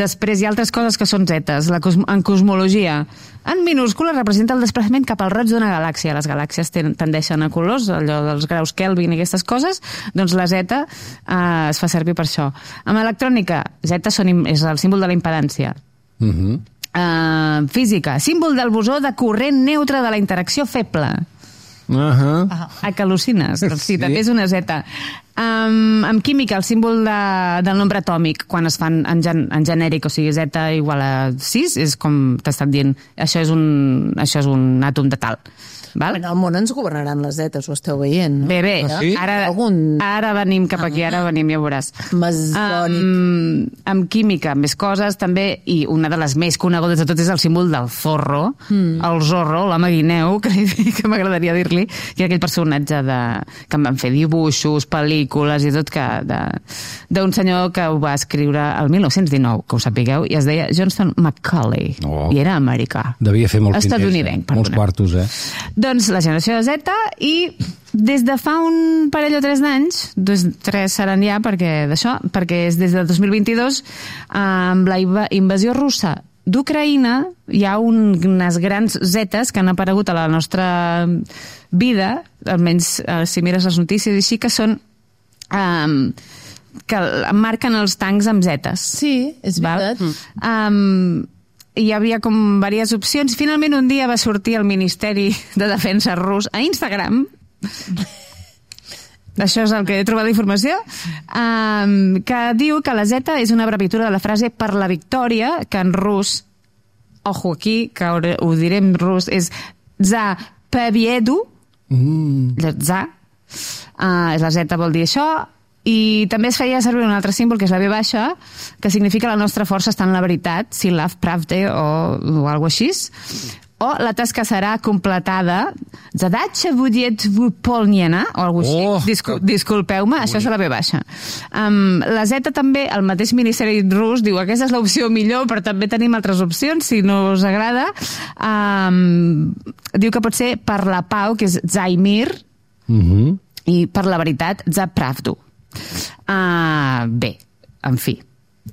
Després hi ha altres coses que són zetes. En cosmologia, en minúscula representa el desplaçament cap al roig d'una galàxia. Les galàxies tendeixen a colors, allò dels graus Kelvin i aquestes coses, doncs la Z es fa servir per això. Amb electrònica, Z és el símbol de la impedància. Física, símbol del bosó de corrent neutre de la interacció feble. Que al·lucines? Doncs sí, també és una Z. Amb química, el símbol del nombre atòmic, quan es fan en genèric, o sigui, Z igual a 6, és com t'he estat dient, això és un àtom de tal. Val? En el món ens governaran les zetes, ho esteu veient, no? Bé, sí? Ara venim cap aquí, ja veuràs. Masònic. Amb química, més coses, també, i una de les més conegudes de tot és el símbol del zorro, el Zorro, l'home guineu, que m'agradaria dir-li, que era aquell personatge que en van fer dibuixos, pel·lícules i tot, d'un senyor que ho va escriure el 1919, que ho sapigueu, i es deia Johnston Macaulay, i era americà. Devia fer molts estatunidenc, molts quartos, Doncs la generació de Z, i des de fa un parell o 3 d'anys, 3 seran ja perquè és des de 2022, amb la invasió russa d'Ucraïna, hi ha unes grans zetes que han aparegut a la nostra vida, almenys si mires les notícies així, que són que marquen els tancs amb zetes. Sí, és veritat. Hi havia com diverses opcions. Finalment un dia va sortir el Ministeri de Defensa rus a Instagram, això és el que he trobat d'informació, que diu que la Z és una abreviatura de la frase per la victòria, que en rus, ojo aquí, que ho diré en rus, és za pebiedu, za, la Z vol dir això. I també es feia servir un altre símbol, que és la V baixa, que significa la nostra força està en la veritat, silav pravde o alguna així, o la tasca serà completada, zadatxa budiet vupolniena, o alguna així, disculpeu-me, això és la V baixa. La Z també, el mateix Ministeri rus diu, aquesta és l'opció millor, però també tenim altres opcions, si no us agrada. Diu que pot ser per la pau, que és Zaimir, i per la veritat, Zapravdu. Bé, en fi,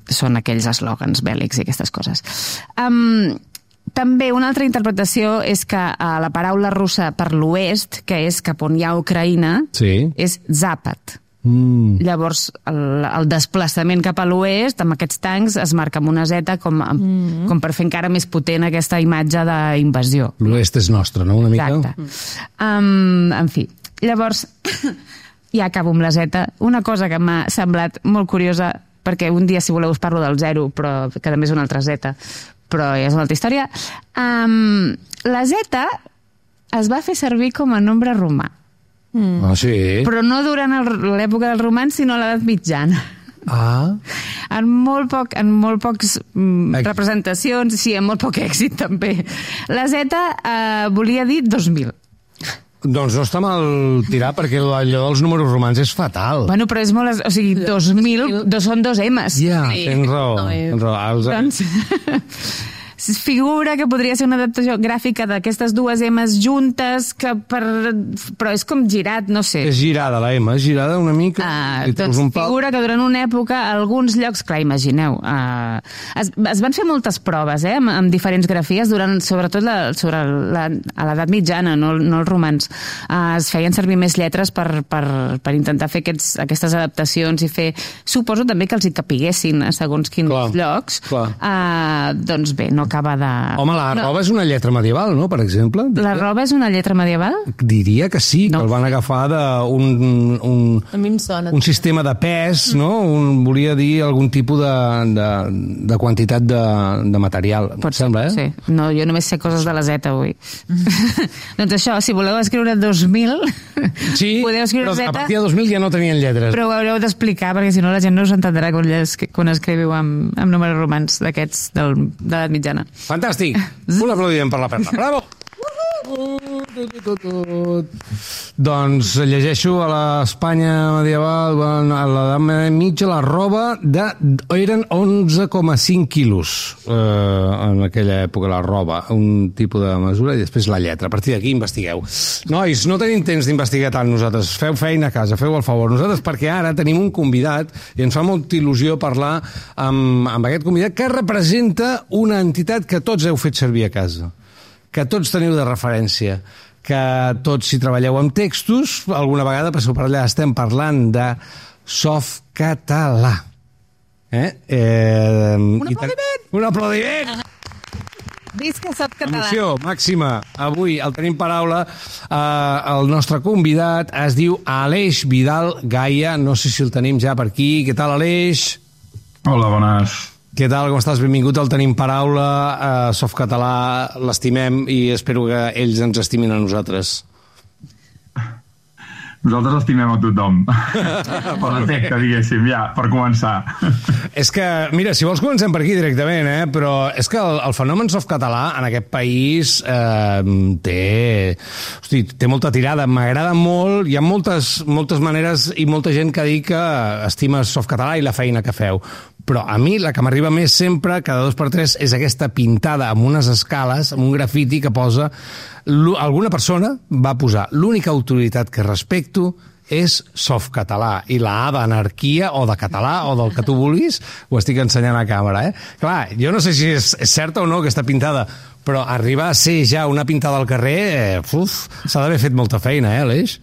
són aquells eslògans bèl·lics i aquestes coses. També una altra interpretació és que la paraula russa per l'oest, que és cap on hi ha Ucraïna, és Zapat. Llavors el desplaçament cap a l'oest amb aquests tancs es marca amb una Z com per fer encara més potent aquesta imatge d'invasió. L'oest és nostre, no? Una mica? Exacte. En fi, llavors I acabo amb la Z. Una cosa que m'ha semblat molt curiosa, perquè un dia, si voleu, us parlo del 0, però que també és una altra Z, però és una altra història. La Z es va fer servir com a nombre romà. Ah, sí? Però no durant l'època dels romans, sinó a l'edat mitjana. Ah. En molt pocs representacions, sí, en molt poc èxit també. La Z volia dir 2000. Doncs no està mal tirar, perquè allò dels números romans és fatal. Bueno, però és molt... O sigui, 2000 són 2 M's. Ja, tens raó. Doncs figura que podria ser una adaptació gràfica d'aquestes 2 M's juntes, però és com girat, no sé. És girada, la M, és girada una mica. Doncs figura que durant una època, a alguns llocs, clar, imagineu, es van fer moltes proves, amb diferents grafies, sobretot a l'edat mitjana, no els romans. Es feien servir més lletres per intentar fer aquestes adaptacions i fer... Suposo també que els hi capiguessin a segons quins llocs. Doncs bé, no acaba de... Home, la roba és una lletra medieval, no?, per exemple. La roba és una lletra medieval? Diria que sí, que el van agafar d'un sistema de pes, no? Volia dir algun tipus de quantitat de material. Pot sembla, eh? Sí. No, jo només sé coses de la Z avui. Doncs això, si voleu escriure 2000, podeu escriure Z... Però a partir de 2000 ja no tenien lletres. Però ho haureu d'explicar, perquè si no la gent no us entendrà quan escriviu amb números romans d'aquests de l'edat mitjana. Fantàstic! Un aplaudiment per la Perla. Bravo! Doncs llegeixo a l'Espanya medieval, a l'edat mitja, la roba eren 11,5 quilos en aquella època, la roba, un tipus de mesura, i després la lletra. A partir d'aquí investigueu. Nois, no tenim temps d'investigar tant nosaltres. Feu feina a casa, feu el favor. Nosaltres, perquè ara tenim un convidat i ens fa molta il·lusió parlar amb aquest convidat que representa una entitat que tots heu fet servir a casa, que tots teniu de referència, que tots, si treballeu amb textos, alguna vegada passeu per allà, estem parlant de Softcatalà. Un aplaudiment! Un aplaudiment! Visca Softcatalà! Emoció màxima. Avui el tenim paraula. El nostre convidat es diu Aleix Vidal Gaia. No sé si el tenim ja per aquí. Què tal, Aleix? Hola, bones. Què tal, com estàs? Benvingut al Tenim Paraula. Softcatalà l'estimem i espero que ells ens estimin a nosaltres. Nosaltres estimem a tothom. Per defecte, diguéssim, ja, per començar. És que, mira, si vols comencem per aquí directament, però és que el fenomen softcatalà en aquest país té molta tirada, m'agrada molt, hi ha moltes maneres i molta gent que ha dit que estima softcatalà i la feina que feu. Però a mi la que m'arriba més sempre, cada 2x3, és aquesta pintada amb unes escales, amb un grafiti que posa... Alguna persona va posar l'única autoritat que respecto és Softcatalà, i la A d'anarquia o de català o del que tu vulguis, ho estic ensenyant a càmera, Clar, jo no sé si és certa o no aquesta pintada, però arribar a ser ja una pintada al carrer, s'ha d'haver fet molta feina, Aleix?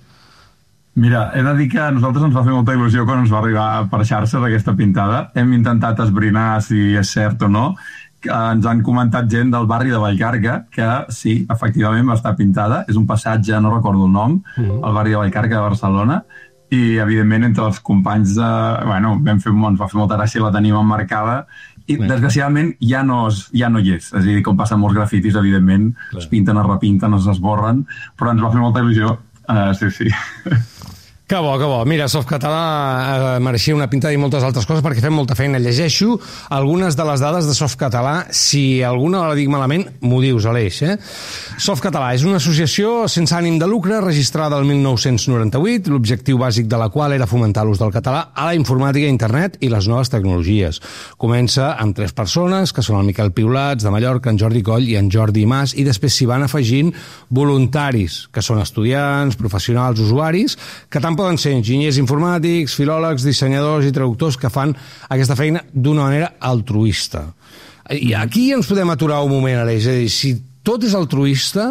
Mira, he de dir que a nosaltres ens va fer molta il·lusió quan ens va arribar per xarxa d'aquesta pintada. Hem intentat esbrinar si és cert o no. Ens han comentat gent del barri de Vallcarca que sí, efectivament va estar pintada. És un passatge, no recordo el nom, al barri de Vallcarca de Barcelona, i evidentment entre els companys ens va fer molta gràcia, la tenim emmarcada, i desgraciadament ja no hi és. És a dir, com passa amb molts grafitis, evidentment, es pinten, es repinten, es esborren, però ens va fer molta il·lusió. Sí. Que bo, que bo. Mira, Softcatalà mereixia una pintada i moltes altres coses perquè fem molta feina. Llegeixo algunes de les dades de Softcatalà. Si alguna la dic malament, m'ho dius, Aleix. Softcatalà és una associació sense ànim de lucre registrada el 1998, l'objectiu bàsic de la qual era fomentar l'ús del català a la informàtica, internet i les noves tecnologies. Comença amb 3 persones, que són el Miquel Piulats, de Mallorca, en Jordi Coll i en Jordi Mas, i després s'hi van afegint voluntaris, que són estudiants, professionals, usuaris, que tant poden ser enginyers informàtics, filòlegs, dissenyadors i traductors que fan aquesta feina d'una manera altruista. I aquí ens podem aturar un moment, Aleix. És a dir, si tot és altruista,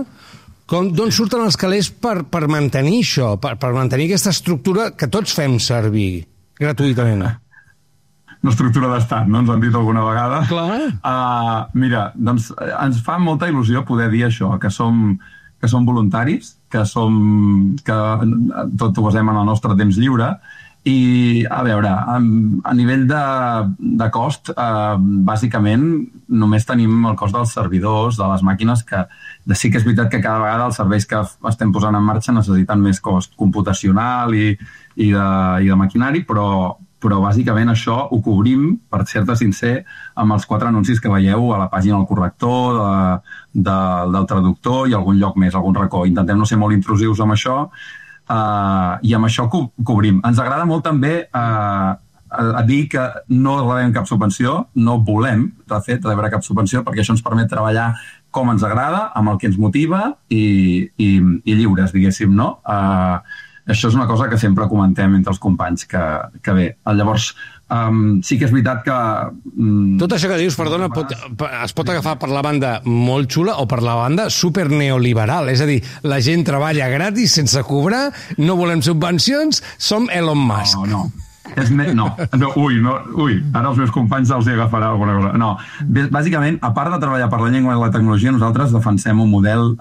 d'on surten els calés per mantenir això, per mantenir aquesta estructura que tots fem servir gratuïtament? Una estructura d'estat, no? Ens han dit alguna vegada. Clar. Mira, doncs ens fa molta il·lusió poder dir això, que som que som voluntaris, que tot ho basem en el nostre temps lliure, i, a veure, a nivell de cost, bàsicament només tenim el cost dels servidors, de les màquines, que sí que és veritat que cada vegada els serveis que estem posant en marxa necessiten més cost computacional i de maquinari, però bàsicament això ho cobrim, per ser-te sincer, amb els 4 anuncis que veieu a la pàgina del corrector, del traductor i algun lloc més, algun racó. Intentem no ser molt intrusius amb això, i amb això cobrim. Ens agrada molt també a dir que no rebem cap subvenció, no volem, de fet, rebre cap subvenció, perquè això ens permet treballar com ens agrada, amb el que ens motiva i lliures, diguéssim, no? Això és una cosa que sempre comentem entre els companys, que bé. Llavors, sí que és veritat que... Tot això que dius, perdona, es pot agafar per la banda molt xula o per la banda super neoliberal. És a dir, la gent treballa gratis, sense cobrar, no volem subvencions, som Elon Musk. No. Ui, ara els meus companys els hi agafarà alguna cosa. No, bàsicament, a part de treballar per la llengua i la tecnologia, nosaltres defensem un model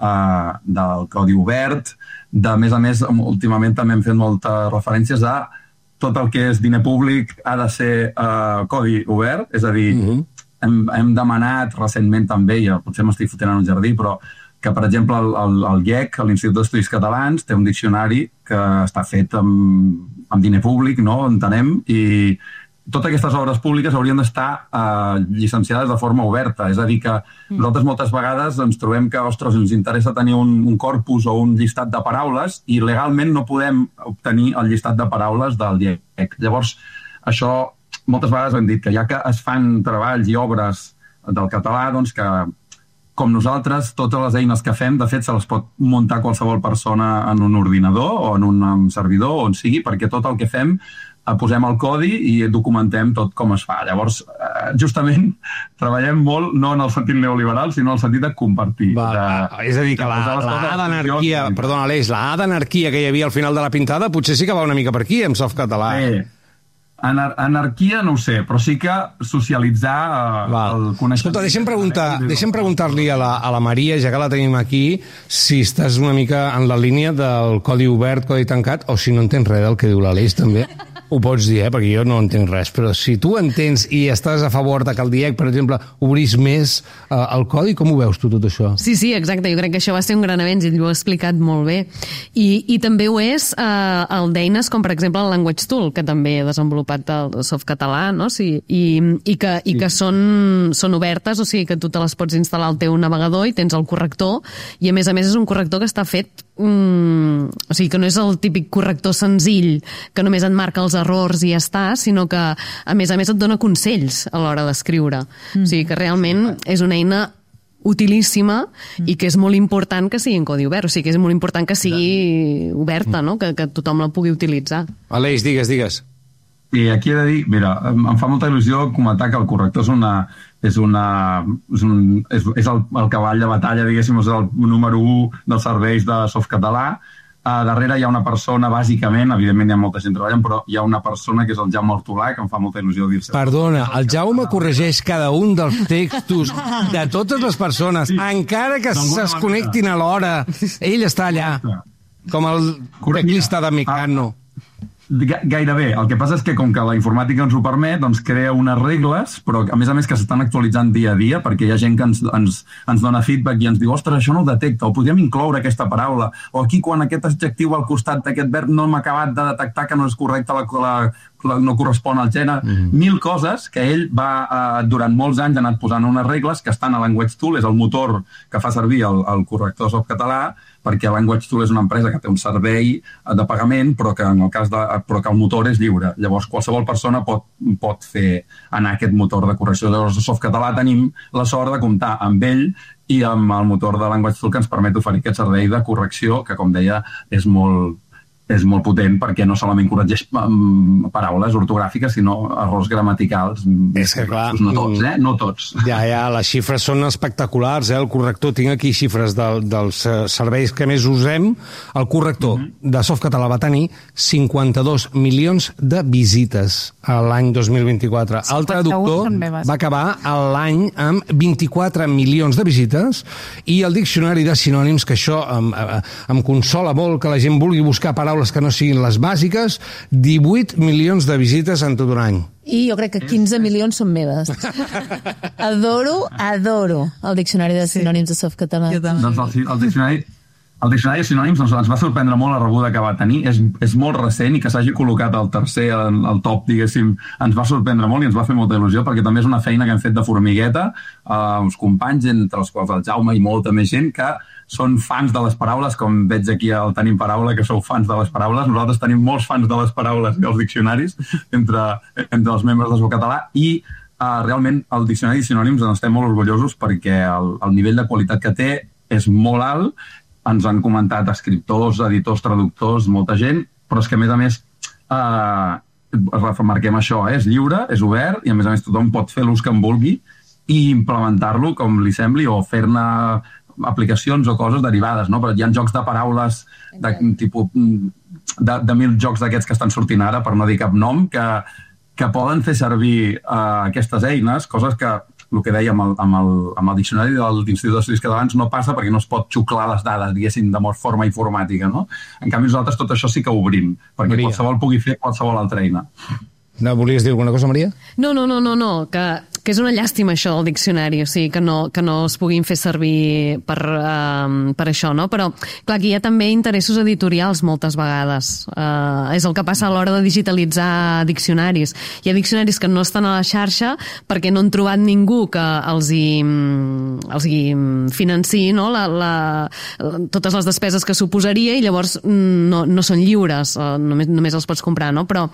del codi obert. A més, últimament també hem fet moltes referències a tot el que és diner públic ha de ser codi obert, és a dir, hem demanat recentment també, i potser m'estic fotent en un jardí, però que, per exemple, el IEC, l'Institut d'Estudis Catalans, té un diccionari que està fet amb diner públic, no? Entenem, i totes aquestes obres públiques haurien d'estar llicenciades de forma oberta. És a dir, que nosaltres moltes vegades ens trobem que, ostres, ens interessa tenir un corpus o un llistat de paraules i legalment no podem obtenir el llistat de paraules del IEC. Llavors, això moltes vegades hem dit que ja que es fan treballs i obres del català, doncs que com nosaltres, totes les eines que fem, de fet, se les pot muntar qualsevol persona en un ordinador o en un servidor, on sigui, perquè tot el que fem posem el codi i documentem tot com es fa. Llavors, justament, treballem molt, no en el sentit neoliberal, sinó en el sentit de compartir. És a dir, que la A d'anarquia, perdona, Aleix, la A d'anarquia que hi havia al final de la pintada potser sí que va una mica per aquí, amb Softcatalà. Anarquia no ho sé, però sí que socialitzar el coneixement. Escolta, deixem preguntar-li a la Maria, ja que la tenim aquí, si estàs una mica en la línia del codi obert, codi tancat, o si no entens res del que diu l'Aleix, també. Ho pots dir, perquè jo no entenc res, però si tu entens i estàs a favor de que el DIEC, per exemple, obrís més el codi, com ho veus tu, tot això? Sí, exacte, jo crec que això va ser un gran avenç i ell ho ha explicat molt bé. I també ho és el d'eines com, per exemple, el Language Tool, que també ha desenvolupat el Softcatalà, no? I que són obertes, o sigui que tu te les pots instal·lar al teu navegador i tens el corrector, i a més és un corrector que està fet o sigui que no és el típic corrector senzill que només et marca els errors i ja està, sinó que a més et dona consells a l'hora d'escriure. O sigui que realment és una eina utilíssima i que és molt important que sigui en codi obert, o sigui que és molt important que sigui oberta, no? Que tothom la pugui utilitzar. Aleix, digues. I aquí he de dir, mira, em fa molta il·lusió comentar que el corrector és el cavall de batalla, diguéssim, és el número 1 dels serveis de Softcatalà. Darrere hi ha una persona, bàsicament, evidentment hi ha molta gent treballant, però hi ha una persona que és el Jaume Hortolà, que em fa molta il·lusió dir-se. Perdona, el Jaume corregeix cada un dels textos de totes les persones, encara que es connectin a l'hora. Ell està allà, com el teclista de Mecano. Gairebé. El que passa és que com que la informàtica ens ho permet, doncs crea unes regles, però a més que s'estan actualitzant dia a dia, perquè hi ha gent que ens dona feedback i ens diu, ostres, això no ho detecta, o podríem incloure aquesta paraula, o aquí quan aquest adjectiu al costat d'aquest verb no hem acabat de detectar que no és correcte, no correspon al gènere, 1000 coses que ell va, durant molts anys, ha anat posant unes regles que estan a Language Tool, és el motor que fa servir el corrector Softcatalà, perquè Language Tool és una empresa que té un servei de pagament, però que el motor és lliure. Llavors, qualsevol persona pot fer anar aquest motor de correcció. Llavors, a Softcatalà tenim la sort de comptar amb ell i amb el motor de Language Tool que ens permet oferir aquest servei de correcció, que, com deia, és molt és molt potent perquè no solament corregeix paraules ortogràfiques, sinó errors gramaticals. És que, clar, no tots, no tots. Ja, les xifres són espectaculars, el corrector, tinc aquí xifres dels serveis que més usem. El corrector de Softcatalà va tenir 52 milions de visites l'any 2024. El traductor va acabar l'any amb 24 milions de visites i el diccionari de sinònims, que això em consola molt que la gent vulgui buscar paraules que no siguin les bàsiques, 18 milions de visites en tot un any. I jo crec que 15 milions són meves. Adoro el diccionari de sinònims de Softcatalà. Doncs el diccionari de sinònims ens va sorprendre molt la rebuda que va tenir. És molt recent i que s'hagi col·locat al tercer, al top, diguéssim, ens va sorprendre molt i ens va fer molta il·lusió, perquè també és una feina que hem fet de formigueta, uns companys, entre els quals el Jaume i molta més gent, que són fans de les paraules, com veig aquí al Tenim Paraula, que sou fans de les paraules. Nosaltres tenim molts fans de les paraules i els diccionaris entre els membres de Softcatalà i realment el diccionari de sinònims en estem molt orgullosos perquè el nivell de qualitat que té és molt alt. Ens han comentat escriptors, editors, traductors, molta gent, però és que a més remarquem això, és lliure, és obert i a més tothom pot fer l'ús que en vulgui i implementar-lo com li sembli o fer-ne aplicacions o coses derivades, no? Però hi ha jocs de paraules de 1.000 jocs d'aquests que estan sortint ara, per no dir cap nom, que poden fer servir aquestes eines, coses que el que dèiem amb el diccionari de l'Institut d'Estudis Catalans no passa perquè no es pot xuclar les dades, diguéssim, de forma informàtica, no? En canvi, nosaltres tot això sí que ho obrim, perquè qualsevol pugui fer qualsevol altra eina. No, volies dir alguna cosa, Maria? No, que és una llàstima això del diccionari, o sigui, que no es puguin fer servir per això, no? Però, clar, aquí hi ha també interessos editorials moltes vegades. És el que passa a l'hora de digitalitzar diccionaris. Hi ha diccionaris que no estan a la xarxa perquè no han trobat ningú que els hi financiï, no? Totes les despeses que suposaria i llavors no són lliures, només els pots comprar, no? Però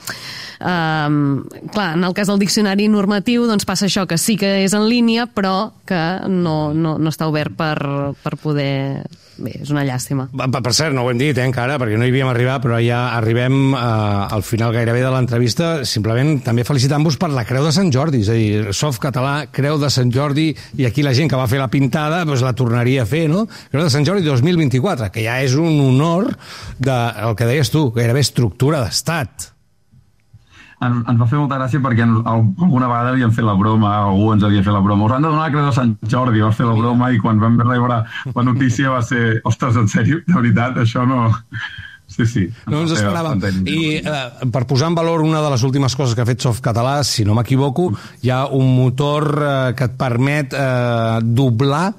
clar, en el cas del diccionari normatiu doncs passa això, que sí que és en línia però que no està obert per poder... Bé, és una llàstima. Per cert, no ho hem dit encara, perquè no hi havíem arribat, però ja arribem al final gairebé de l'entrevista, simplement també felicitant-vos per la Creu de Sant Jordi, és a dir, Softcatalà, Creu de Sant Jordi, i aquí la gent que va fer la pintada doncs la tornaria a fer, no? Creu de Sant Jordi 2024, que ja és un honor el que deies tu, gairebé estructura d'estat. Ens va fer molta gràcia perquè alguna vegada havíem fet la broma, algú ens havia fet la broma. Us han de donar la Creu de Sant Jordi, vas fer la broma i quan vam rebre la notícia va ser, ostres, en sèrio? De veritat, això no... Sí. No ens esperàvem. I per posar en valor una de les últimes coses que ha fet Softcatalà, si no m'equivoco, hi ha un motor que et permet doblar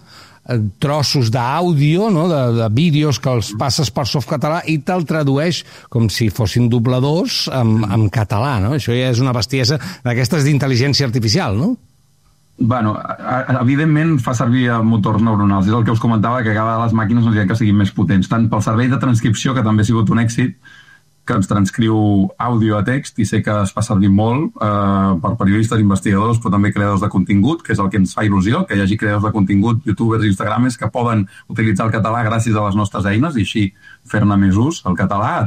trossos d'àudio, no? de vídeos que els passes per Softcatalà i te'l tradueix com si fossin dobladors en català, no? Això ja és una bestiesa d'aquestes d'intel·ligència artificial, no? Bueno, evidentment fa servir motors neuronals. És el que us comentava, que cada vegada les màquines no diuen que siguin més potents. Tant pel servei de transcripció, que també ha sigut un èxit, que ens transcriu àudio a text i sé que es fa servir molt per periodistes, investigadors, però també creadors de contingut, que és el que ens fa il·lusió, que hi hagi creadors de contingut, youtubers i instagramers que poden utilitzar el català gràcies a les nostres eines i així fer-ne més ús, el català, a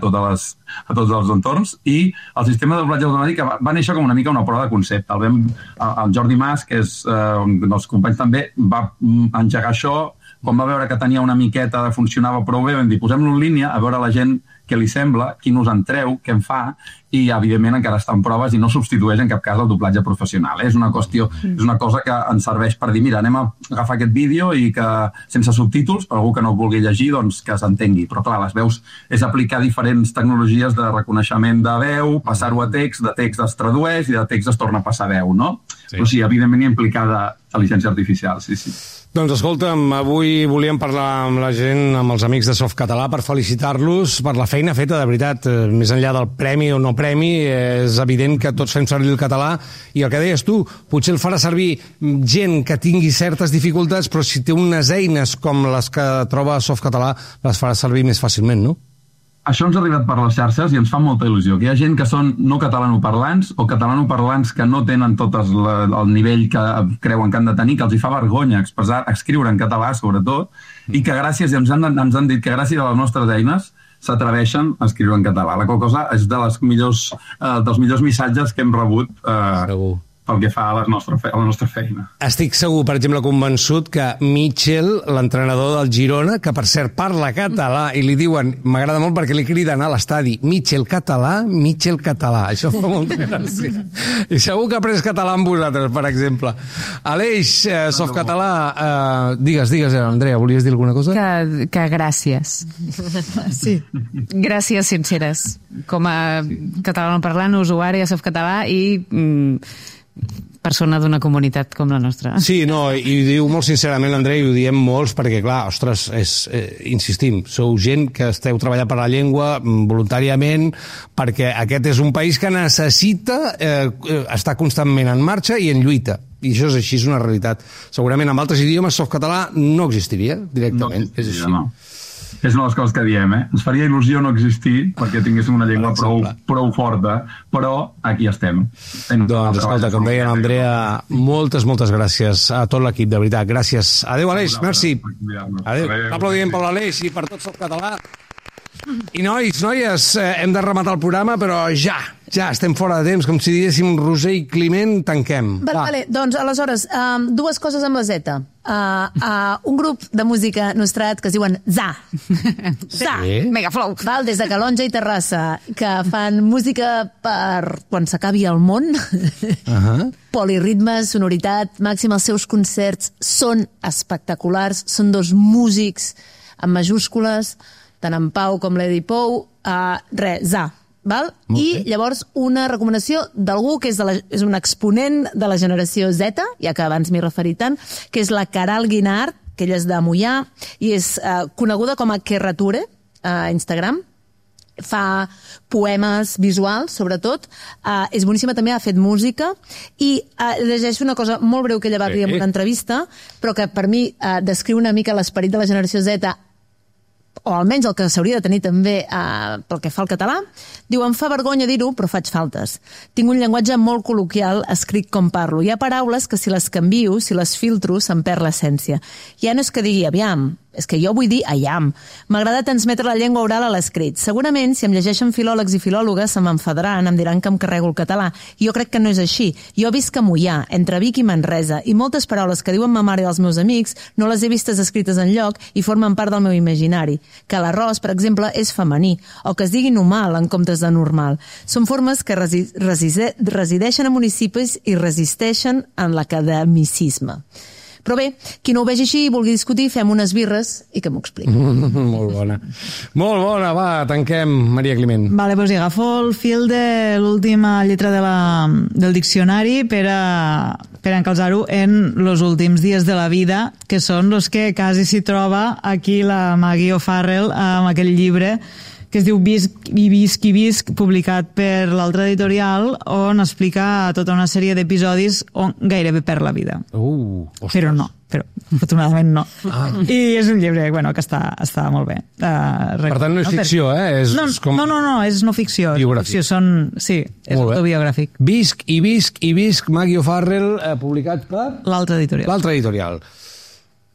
tots els entorns. I el sistema de doblatge automàtic va néixer com una mica una prova de concepte. El Jordi Mas, que és un dels companys també, va engegar això. Quan va veure que tenia una miqueta, funcionava prou bé, vam dir, posem-lo en línia, a veure la gent què li sembla, qui nos en treu, què en fa, i evidentment encara està en proves i no substitueix en cap cas el doblatge professional. És una cosa que ens serveix per dir, mira, anem a agafar aquest vídeo i que sense subtítols, per algú que no el vulgui llegir, doncs que s'entengui. Però clar, les veus és aplicar diferents tecnologies de reconeixement de veu, passar-ho a text, de text es tradueix i de text es torna a passar a veu, no? Sí. Però sí, evidentment hi ha implicada intel·ligència artificial, sí. Doncs escolta'm, avui volíem parlar amb la gent, amb els amics de Softcatalà, per felicitar-los per la feina feta, de veritat. Més enllà del premi o no premi, és evident que tots fem servir el català i el que deies tu, potser el farà servir gent que tingui certes dificultats, però si té unes eines com les que troba Softcatalà, les farà servir més fàcilment, no? Això ens ha arribat per les xarxes i ens fa molta il·lusió, que hi ha gent que són no catalanoparlants o catalanoparlants que no tenen tot el nivell que creuen que han de tenir, que els hi fa vergonya escriure en català, sobretot, i que gràcies, ens han dit que gràcies a les nostres eines s'atreveixen a escriure en català. La qual cosa és dels millors missatges que hem rebut pel que fa a la nostra feina. Estic segur, per exemple, convençut que Mitchell, l'entrenador del Girona, que per cert parla català, i li diuen, m'agrada molt perquè li criden a l'estadi, Mitchell català. Això fa molta gràcia. I segur que ha après català amb vosaltres, per exemple. Aleix, Softcatalà, digues, Andrea, volies dir alguna cosa? Que gràcies. Sí. Gràcies sinceres. Com a catalanoparlant, usuari a Softcatalà i persona d'una comunitat com la nostra. Sí, no, i diu molt sincerament l'Andrea, i ho diem molts, perquè clar, ostres, insistim, sou gent que esteu treballant per la llengua voluntàriament, perquè aquest és un país que necessita estar constantment en marxa i en lluita. I això és així, és una realitat. Segurament amb altres idiomes Softcatalà no existiria directament. No existiria, no. És una de les coses que diem, Ens faria il·lusió no existir perquè tinguéssim una llengua prou forta, però aquí estem. Doncs, escolta, com deia l'Andrea, moltes gràcies a tot l'equip, de veritat. Gràcies. Adéu, Aleix, merci. Adéu. Aplaudiment per l'Aleix i per tot Softcatalà. I noies, hem de rematar el programa, però ja estem fora de temps, com si diguéssim Roser i Climent, tanquem. Vale, doncs, aleshores, dues coses amb la Z. Un grup de música nostrat que es diuen ZA. Megaflow. Val, des de Calonja i Terrassa, que fan música per quan s'acabi el món. Poliritme, sonoritat màxima. Els seus concerts són espectaculars. Són dos músics amb majúscules, tant en Pau com l'Edi Pou, ZA. Val? I llavors una recomanació d'algú que és un exponent de la generació Z, ja que abans m'hi he referit tant, que és la Caral Guinart, que ella és de Moià i és coneguda com a Kerrature a Instagram. Fa poemes visuals, sobretot. És boníssima, també ha fet música i llegeixo una cosa molt breu que ella va dir en una entrevista, però que per mi descriu una mica l'esperit de la generació Z, o almenys el que s'hauria de tenir també pel que fa al català. Diu, em fa vergonya dir-ho, però faig faltes. Tinc un llenguatge molt col·loquial, escric com parlo. Hi ha paraules que si les canvio, si les filtro, se'n perd l'essència. Ja no és que digui aviam, és que jo vull dir aiam. M'agrada transmetre la llengua oral a l'escrit. Segurament, si em llegeixen filòlegs i filòlogues, se m'enfadaran, em diran que em carrego el català. I jo crec que no és així. Jo visc a Moià, entre Vic i Manresa, i moltes paraules que diuen ma mare i els meus amics no les he vistes escrites enlloc i formen part del meu imaginari. Que l'arròs, per exemple, és femení, o que es digui normal en comptes de normal. Són formes que resideixen a municipis i resisteixen en l'academicisme. Però bé, qui no ho vegi així i vulgui discutir, fem unes birres i que m'ho expliqui. Molt bona. Molt bona, va, tanquem, Maria Climent. Vale, doncs agafo el fil de l'última lletra del diccionari per a encalçar-ho en els últims dies de la vida, que són els que quasi s'hi troba aquí la Maggie O'Farrell amb aquell llibre que es diu Visc i Visc, publicat per l'altra editorial, on explica tota una sèrie d'episodis on gairebé perd la vida. Però afortunadament no. I és un llibre que està molt bé. Per tant, no és ficció, No, és no ficció. Biogràfic. Sí, és autobiogràfic. Visc i Visc, Maggie O'Farrell, publicat per... L'altra editorial.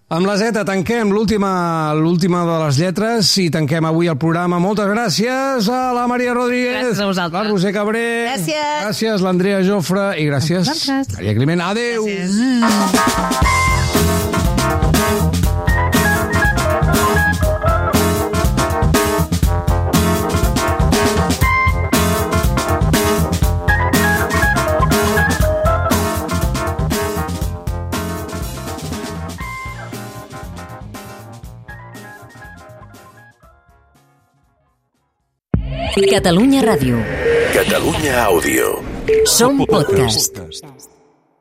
Amb la Z tanquem l'última de les lletres i tanquem avui el programa. Moltes gràcies a la Maria Rodríguez, gràcies a vosaltres, la Roser Cabré, gràcies l'Andrea Jofre i gràcies Maria Climent. Adéu! Catalunya Ràdio. Catalunya Àudio. Som podcast.